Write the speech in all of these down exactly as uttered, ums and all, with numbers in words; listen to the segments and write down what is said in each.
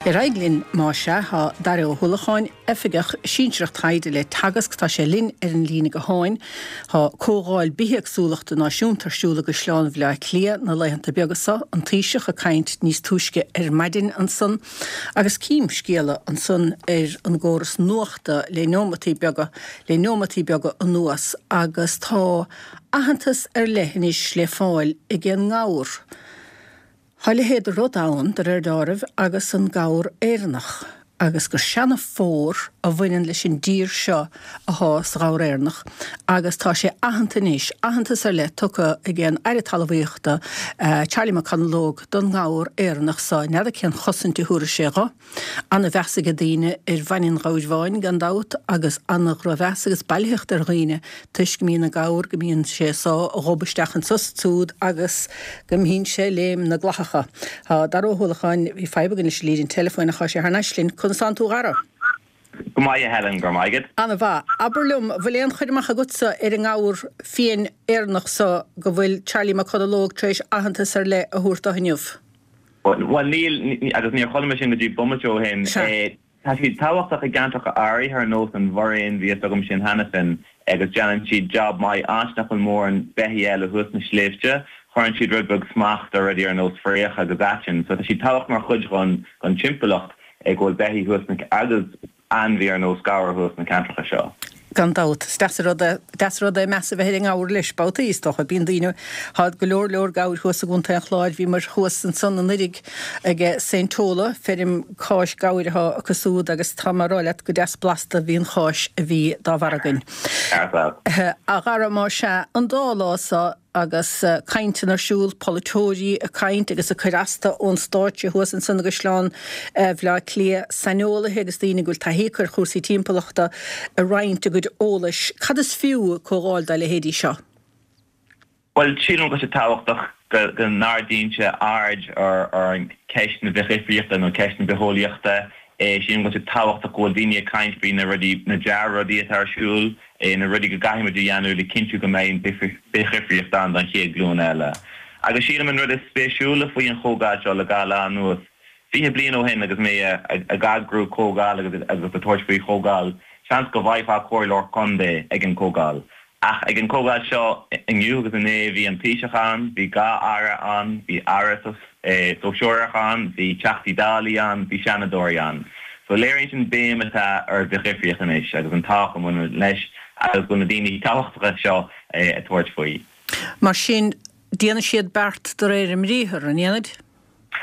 Ar aghaidh linn más ea, tá Dara Ó hUallacháin, Oifigeach Sinsearach Taighde le Teagasc, tá sé linn ar an líne gutháin. Tá Comhdháil Bithéagsúlachta Náisiúnta ar siúl i gCaisleán Bhaile Átha Cliath na laethanta beaga seo, an Taoiseach ag caint níos túisce ar maidin ansan, agus cím scéala ansan ar an gcóras nuachta le neomataí beaga le neomataí beaga anuas agus tá aitheantas ar leith anois le fáil ag an ngabhar. Tá a leithéid de rud ann, de réir dealraimh, agus an gabhar Éireannach, agus gur seana-phór a bhaineann leis an dtír seo athá sa ghabhar Éireannach, agus tá sé aitheanta anois, aitheantas ar leith tugtha ag an Aire Talmhaíochta, Charlie McConalogue, don ngabhar Éireannach so. N'fheadar cén chosaint a thabharfaidh sé dho. Ana-mheas ag daoine ar bhainne an ghabhair bháin, gan dabht, agus ana-dhrochmheas agus bailitheacht ar dhaoine toisc go mbíonn an gabhar, go mbíonn sé ag sá a ghob isteach anso is ansúd agus go mbíonn sé ag léim na gclathacha. Tá Dara Ó hUallacháin, bhí fadhb againn leis an líne teileafóin ach tá sé thar n-ais linn. Conas tánn tú a Dhara? Go maith a Helen, go raibh maith agat. Ana-mhaith. Abair liom, bhfuil aon chur amach agatsa ar an ngabhar fiáin Éireannach so go bhfuil Charlie McConalogue tar éis aitheantas ar leith a thabhairt do inniu? Bhuel, níl, agus níor chuala mé sin go dtí bomaite ó shin. Tá siad tábhachtach i gceantracha áirithe ar nós an Bhoireann, bhí fhios agam sin cheana féin, agus déanann siad jab maith áit nach bhfuil mórán beithígh eile thuas sna sléibhte, cuireann siad rud beag smacht ar rudaí ar nós fraoch agus aiteann. So tá siad tábhachtach mar chuid den timpeallacht go bhfuil beithígh thuas sna, agus ainmhí ar nós gabhar thuas sna ceantracha seo. Gan dabht. Is deas an rud é, deas an rud é meas a bheith ar an ngabhar leis, babhtaí, is dócha. Bíonn daoine, tá go leor leor gabhair thuas i gContae an Chláir. Bhíomar thuas ansan anuiridh ag Saint Tola, feirm cáis gabhair atá acu súd agus tá mé a rá leat go deas blasta a bhí an cháis a bhí dá bharr againn. A Dhara, más ea, an dá lá so, agus cainteanna ar siúl, polaiteoirí ag caint agus ag cur astu ón stáitse thuas ansan i gCaisleán Bhaile Átha Cliath, saineolaithe agus daoine go bhfuil taithí acu ar chúrsaí timpeallachta ag roinnt a gcuid eolais. Cad is fiú comhdháil dá leithéidí seo? Bhuel, sílim go bhfuil sé tábhachtach go n-ardaíonn sé aird ar cheist na bithdhifríochta nó ceist na bitheolaíochta. Sílim go bhfuil sé tábhachtach go bhfuil daoine ag caint faoi na rudaí, na dea-rudaí atá ar siúl, na rudaí go gcaithfidh muid a dhéanamh le cinntiú go mbeidh an bithdhifríocht ann don chéad ghlúin eile. Agus sílim an rud is spéisiúla faoi an chomhdháil seo le dhá lá anuas, fiche bliain ó shin agus mé ag eagrú comhdháil agus ag tabhairt faoi chomhdháil, seans go bhfaighfeá comhairleoir contae ag an chomhdháil. Ach ag an chomhdháil seo inniu agus inné bhí an Taoiseach ann, bhí dhá aire ann, bhí aire sóisearach ann, bhí Teachtaí Dálaí ann, bhí Seanadóirí ann. So léiríonn sin béim atá ar bhithdhifríocht anois agus an tábhacht a bhaineann leis agus go bhfuil na daoine tábhachtacha seo ag tabhairt faoi. Mar sin, déanfaidh siad beart de réir a mbriathar, an ndéanfaid?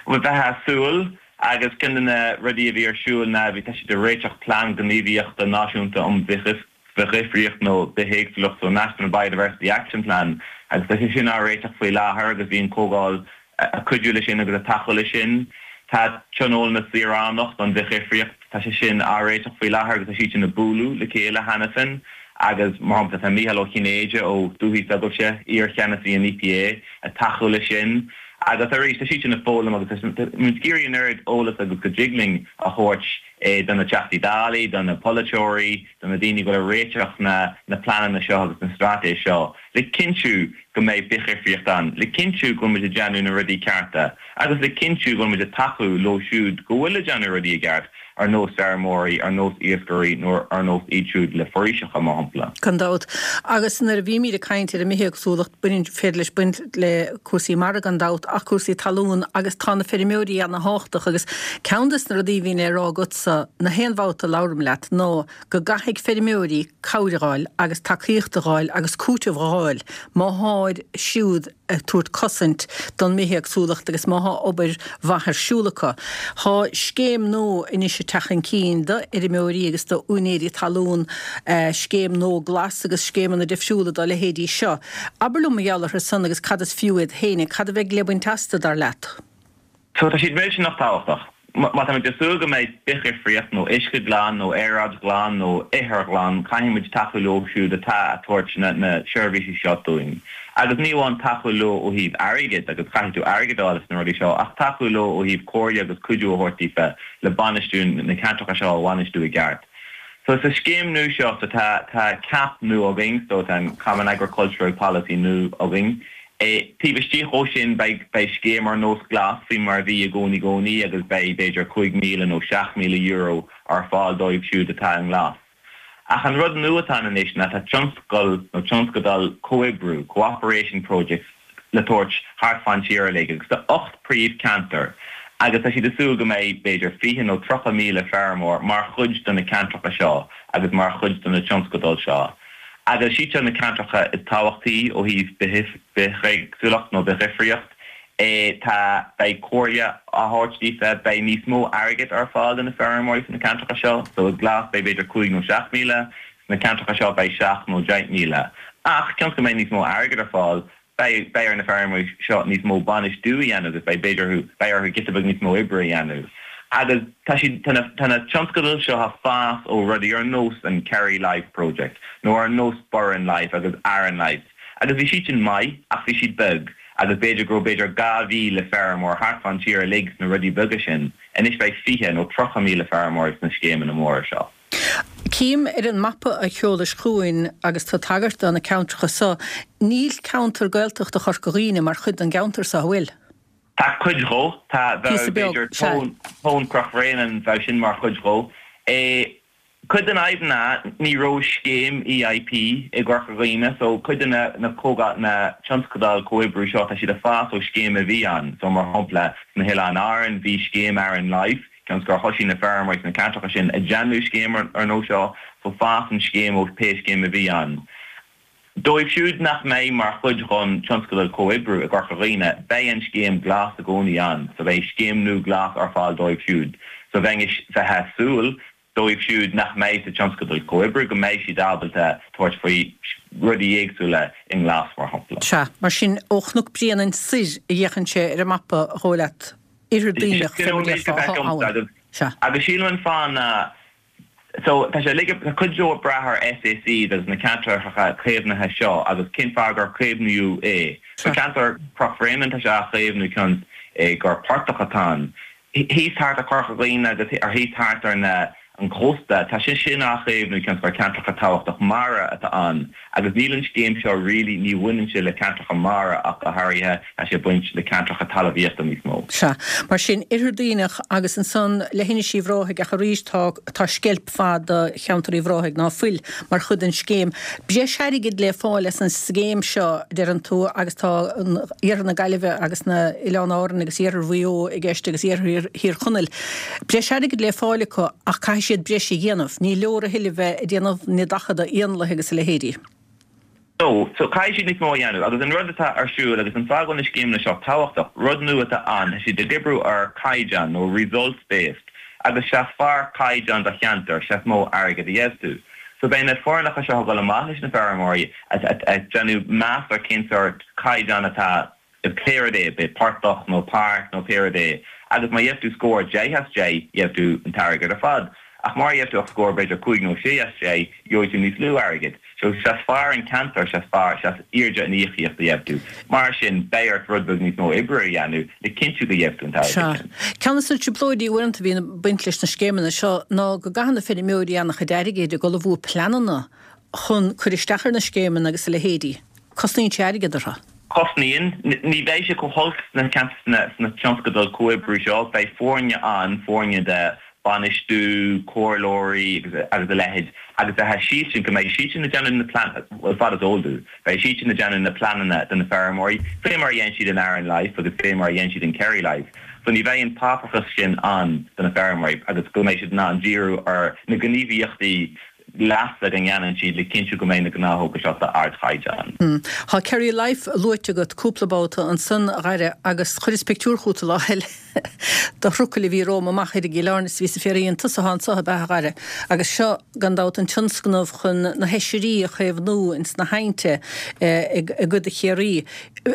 Bhuel, bheifeá ag súil, agus ceann de na rudaí a bhí ar siúl ná bhí, tá siad ag réiteach plean gníomhaíochta náisiúnta um Bithdhifríocht nó Bithéagsúlacht, so National Biodiversity Action Plan, agus tá sé sin á réiteach faoi láthair agus bhí an chomhdháil ag cuidiú leis sin agus ag tacú leis sin. Tá Tionól na Saoránach don Bhithdhifríocht, tá sé sin á réiteach faoi láthair agus tá siad sin ag bualadh le chéile cheana féin agus, mar shampla, tá Mícheál Ó Cinnéide ó dúthaigh s'agaibhse, iar-cheannasaí an EPA, ag tacú leis sin agus arís tá siad sin ag foghlaim agus tá muid ag iarraidh an oiread eolas agus go dtig linn a thabhairt do na Teachtaí Dálaí, do na polaiteoirí, do na daoine go bhfuil ag réiteach na na pleananna seo agus na straitéis seo le cinntiú go mbeidh bithdhifríocht ann, le cinntiú go bhfuil muid ag déanamh na rudaí cearta agus le cinntiú go bhfuil muid ag tacú leo siúd go bhfuil ag déanamh rudaí i gceart, ar nós feirmeoirí, ar nós iascairí nó ar nós iad siúd le foraoiseacha, mar shampla. Gan dabht. Agus nuair a bhímid ag caint ar an mbithéagsúlacht, baineann, féidir leis baint le cúrsaí mara gan dabht, ach cúrsaí talún agus tá na feirmeoirí ana-thábhachtach agus ceann des na rudaí a bhíonn le rá agatsa na haon bhabhta a labhraím leat ná go gcaithfidh feirmeoirí cabhair a dh'fháil agus tacaíocht a dh'fháil agus cúiteamh a dh'fháil má tháid siúd ag tabhairt cosaint don mbithéagsúlacht agus má thá obair mhaith ar siúl acu. Thá scéim nua anois ag teacht chun cinn do fheirmeoirí agus do úinéirí talún, scéim nua glas agus scéimeanna difriúla dá leithéidí seo. Abair liom mar gheall orthu san agus cad is fiú iad féinig, cad a bheidh le baint astu, dar leat? So tá siad millteanach tábhachtach. Má táimid ag súil go mbeidh bithdhifríocht nó uisce glan nó aeráid ghlan nó ithir ghlan, caithfidh muid tacú leo siúd atá ag tabhairt na seirbhísí seo dúinn. Agus ní amháin tacú leo ó thaobh airgid, agus caithfidh tú airgead a fháil as na rudaí seo, ach tacú leo ó thaobh comhairle agus cuidiú a thabhairt daofa le bainistiú na ceantracha seo a bhainistiú i gceart. So sa scéim nua seo, so tá tá CAP nua againn, so tá an Common Agricultural Policy nua againn, Taobh istigh dhó sin beidh beidh scéim ar nós Glas faoi mar a bhí i gcónaí gcónaí agus beidh b'fhéidir cúig míle nó seacht míle euro ar fáil dóibh siúd atá i nGlas. Ach an rud nua atá ann anois ná tá tionscal nó tionscadal comhoibriú, cooperation projects, le tabhairt thart fán tír uilig agus tá ocht príomhcheantar agus tá siad ag súil go mbeidh b'fhéidir fiche nó tríocha míle feirmeoir mar chuid de na ceantracha seo agus mar chuid de na tionscadail seo. Agus siad seo na ceantracha is tábhachtaí ó thaobh bithéagsúlacht nó bithdhifríocht. Tá, beidh comhairle á thabhairt daofa, beidh níos mó airgid ar fáil do na feirmeoirí sna ceantracha seo. So i nGlas beidh b'fhéidir cúig nó seacht míle, sna ceantracha seo beidh seacht nó deich míle. Ach cionn is go mbeidh níos mó airgid ar fáil, beidh beidh ar na feirmeoirí seo níos mó bainistiú a dhéanamh agus beidh b'fhéidir orthu beidh orthu giota beag níos mó oibre a dhéanamh. Agus tá siad tá na tá na tionscadail seo ag fás ó rudaí ar nós an Kerry Life Project nó ar nós Burren Life agus Aran Life agus bhí siad sin maith ach bhí siad beag agus b'fhéidir go raibh b'fhéidir dhá mhíle feirmeoir thart fán tír uilig sna rudaí beaga sin, anois beidh fiche nó tríocha míle feirmeoir sna scéimeanna móra seo. Cím ar an mapa a sheolais chugainn agus tá tagairt do na ceantracha so, níl ceantar Gaeltachta Chorca Dhuibhne mar chuid den gceantar so, an bhfuil? Tá cuid dhó, tá, bheadh Píosa beag, b'fhéidir sea. Tóin, Tóin Chnoc Bhréanainn, bheadh sin mar chuid dhó. Cuid den fhadhb ná ní raibh scéim EIP i gCorca Dhuibhne so cuid de na na comhdháil na tionscadail comhoibriú seo tá siad ag fás ó scéim a bhí ann so mar shampla sna hOileáin Árann bhí scéim Aran Life cionn is gur thosaigh na feirmeoirí sna ceantracha sin ag déanamh scéim ar nós seo so fásann scéim ó pé scéim a bhí ann. Dóibh siúd nach mbeidh mar chuid den tionscadal comhoibriú i gCorca Dhuibhne beidh an scéim Glas i gcónaí ann so beidh scéim nua Glas ar fáil dóibh siúd so bheinn bheith ag súil dóibh siúd nach mbeidh sa tionscadal comhoibriú go mbeidh siad ábalta tabhairt faoi rudaí éagsúla i nGlas, mar shampla. Sea, mar sin, ó Chnoc Bréanainn soir a fhéachann sé ar an mapa, a dhóigh leat, Oirthear Duibhneach, Sin fé an mar a méid go déarfá, bhfeicim abhainn. agus Sea. agus sílim an fáth ná so tá sé uilig tá cuid dó ag brath ar SACs agus na ceantracha caomhnaithe seo agus cén fáth gur caomhnaíodh é. So Sea. ceantar Chnoc Bhréanainn tá sé á chaomhnú cionn is gur portach atá ann. Thíos thart ar Chorca Dhuibhne agus ar thíos thart ar na an cósta, tá sé sin á chaomhnú cionn is gur ceantracha tábhachtach mara atá ann agus níl an scéim seo really, ní bhaineann sé le ceantracha mara ach go háirithe, tá sé ag baint le ceantracha talmhaíochta níos mó. Sea, mar sin, Oirthear Duibhneach agus ansan leithinis Uíbh Ráthaigh ach arís tá tá sceilp fada de cheantar Uíbh Ráthaigh ná fuil mar chuid den scéim. Breis airgid le fáil as an scéim seo, deireann tú, agus tá Iarthar na Gaillimhe agus na Oileáin Árann agus Iarthar Mhaigh Eo i gceist agus Iarthar Thír Chonaill. Breis airgid le fáil acu ach caithfidh siad breis a dhéanamh. Ní leor a thuilleadh bheith ag déanamh na daichead éanlaith agus a leithéidí. So, so caithfidh siad níos mó a dhéanamh agus an rud atá ar siúl agus an fáth go bhfuil na scéimeanna seo tábhachtach, rud nua atá ann, tá siad ag oibriú ar caighdeán nó results based agus sea is fearr caighdeán do cheantar, sea is mó airgead a gheobhaidh tú. So beidh na foirneacha seo ag dul amach leis na feirmeoirí ag déanamh meas ar cén sórt caighdeán atá pé rud é, b'é portach nó páirc nó pé rud é, agus má gheibh tú scór deich as deich, gheibh tú an t-airgead ar fad, ach má gheibh tú ach scór b'fhéidir cúig nó sé as deich, gheobhaidh tú níos lú airgid. So sea is fearr an ceantar, sea is fearr, sea is airde an íocaíocht a gheibh tú. Mar sin, beidh ort rud beag níos mó oibre a dhéanamh le cinntiú go gheibh tú an t-airgead Sea. sin. Ceann de na trioblóidí uaireanta a bhíonn ag baint leis na scéimeanna seo ná go gcaitheann na feirmeoirí an-chuid airgid ag ullmhú pleananna chun cur isteach ar na scéimeanna agus a leithéidí. Cosnaíonn sé airgead orthu. Cosnaíonn. Ní bheidh sé chomh holc sna sna tionscadail comhoibriú seo. Beidh foirne ann, foirne de bhainistiú, comhairleoirí agus agus a leithéid agus beidh siad sin, go mbeidh siad sin ag déanamh na plean, bhuel fad is eol domh, beidh siad sin ag déanamh na pleananna do na feirmeoirí, fé mar a dhein siad in Aran Life agus fé mar a dhein siad in Kerry Life. So ní bheidh an páipéarachas sin ann do na feirmeoirí agus go mbeidh siad in ann díriú ar na gníomhaíochtaí leasa go ndéanann siad le cinntiú go mbeidh na gnáthóga seo d'ardchaighdeán. Tá Kerry Life luaite agat cúpla babhta ansan, a Dhaire, agus chuireas pictiúr chugat lá eile de thrucail a bhí romham amach ar an gCill Airne is bhíos ag fiafraí an tusa atá anso ab ea, a Dhaire? Agus seo, gan dabht, an tionscnamh chun na hoisrí a chaomhnú ins na haibhnte i gcuid de Chiarraí.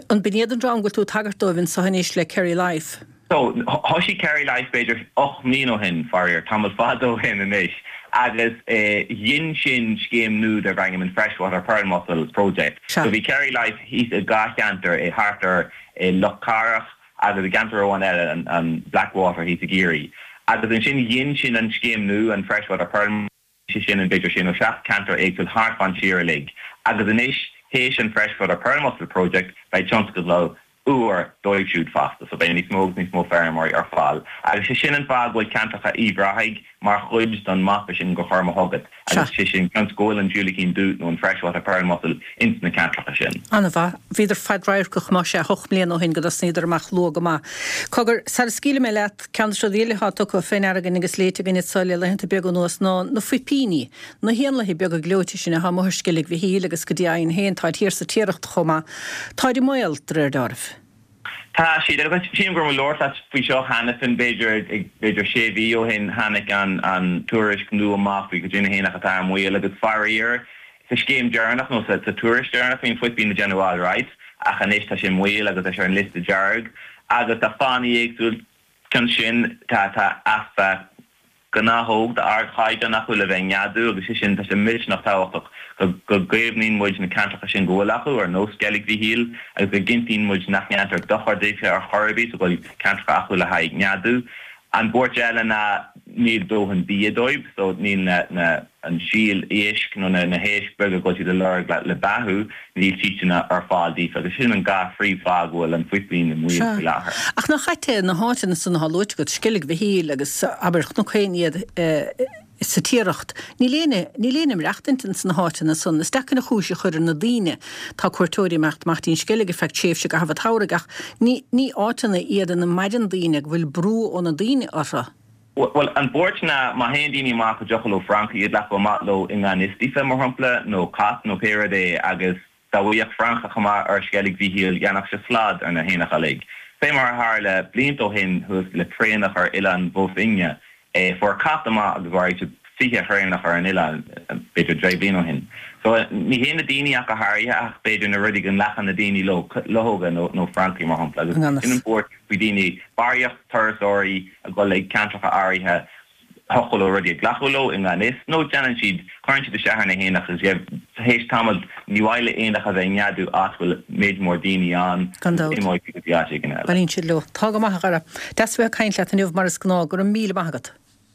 An b'in iad an dream go bhfuil tú ag tagairt dóibh anso anois le Kerry Life? So, thoisigh Kerry Life b'fhéidir ocht mbliana ó shin, faraor, tamall fada ó shin anois, agus ghin sin scéim nua darb ainm an Freshwater Pearl Mussel Project. Sea. So bhí Kerry Life thíos i dhá cheantar, i thart ar i Loch Carach agus i gceantar amháin eile, an an Blackwater thíos i gCiarraí. Agus ansin ghin sin an scéim nua, an Freshwater Pearl. sé sin in b'fhéidir sé nó seacht ceantar éagsúil thart fán tír uilig agus anois Théis an Freshwater Pearl Mussel Project beidh tionscadal úr dóibh siúd fosta, so beidh níos mó agus níos mó feirmeoirí ar fáil. Agus sé sin an fáth go bhfuil ceantracha Uíbh Ráthaigh mar chuid don mapa sin gur chuir mé chugat, agus sé sin cionn is go bhfuil an diúilicín dubh nó an freshwater pearl mussel ins na ceantracha sin. An-mhaith. Bhíodar fadradharcach más ea, hocht mbliana ó shin go dtosnaíodar amach luath go maith. Cogar, sara scaoilfidh mé leat, ceann de na rudaí eile atá tugtha fé ndeara againn agus léite againn anso le laethanta beaga anuas ná na fuipíní, na héanlaithe beaga gleoite sin atá amuigh ar Sceilg Mhichíl agus go deimhin féin táid thiar sa Tiaracht chomh maith. Táid i mbaol, de réir dealraimh. Tá siad, agus sílim go raibh mé ag labhairt leat faoi seo cheana féin, b'fhéidir b'fhéidir sé mhí ó shin tháinig an an tuairisc nua amach faoi cad é na héanacha atá i mbaol agus faraor sa scéim deireanach nó sa sa tuairisc deireanach bhí an fuipín ag déanamh alright ach anois tá sé i mbaol agus tá sé ar an liosta dearg agus tá fáthanna éagsúil cionn sin tá tá easpa gnáthóg d'ardchaighdeán acu le bheith ag neadú agus sé sin, tá sé millteanach tábhachtach go go gcaomhnaíonn muid na ceantracha sin go bhfuil acu, ar nós Sceilg Mhichíl, agus go gcinntíonn muid nach ndéantar dochar daofa ar chor ar bith so go bhfuil ceantracha acu le haghaidh neadú. An buairt eile ná níl dóthain bia dóibh so níl na na an síol éisc nó na na héisc beaga go bhfuil siad ag lorg le le beathú, níl siadsan ar fáil daofa agus sin an dhá phríomhfháth go bhfuil an fuipín i mbaol Sea. faoi láthair. Ach nach ait é na háiteanna san atá luaite agat, Sceilg Mhichíl agus abair Cnoc Fheinniad sa Tiaracht, níl éinne, níl éinne ag maireachtaint ins na háiteanna san. Is deacair an chúis a chur ar na daoine. Tá cuairteoirí ag imeacht amach dtí'n Sceilg ar feadh tréimhse i gcaitheamh an tsamhraidh ach ní, ní áiteanna iad ina maireann daoine, go bhfuil brú ó na daoine orthu. Bhuel, an bhuairt ná má théann daoine amach go dtiocfadh leo francaigh a ghlacadh amach leo i ngan fhios daofa, mar shampla, nó cat nó pé rud é, agus dá bhfaigheadh francach amach ar Sceilg Mhichíl dhéanfadh sé slad ar na héanacha uilig. Fé mar a tharla blianta ó shin thuas le traonach ar Oileán Bhó Finne, fuair cat amach agus mharaigh sé fiche thraonach ar an oileán, b'fhéidir deich bliain ó shin. So, ní hé na daoine ach go háirithe ach b'fhéidir na rudaí go nglacann na daoine leo, luchóga nó francaigh mar shampla, agus sin an bhuairt faoi daoine, barraíocht turasóirí ag dul ag ceantracha áirithe, thiocfadh leo rudaí a ghlacadh leo i ngan fhios, nó déanann siad, cuireann siad isteach ar na héanacha agus théis tamaill ní mhaith le éanacha a bheith ag neadú áit a bhfuil méid mór daoine ann Gan agus dabht. imeoidh siad go dtí áit éigin eile. Bailíonn siad leo. Tá go maith a Dhara. Deas a bheith ag caint leat inniu mar is gnáth. Go raibh míle maith agat.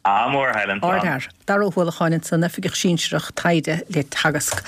Ádh mór, a Helen. Slán. Ardfhear. Dara Ó hUallacháin ansan, Oifigeach Sinsearach Taighde le Teagasc.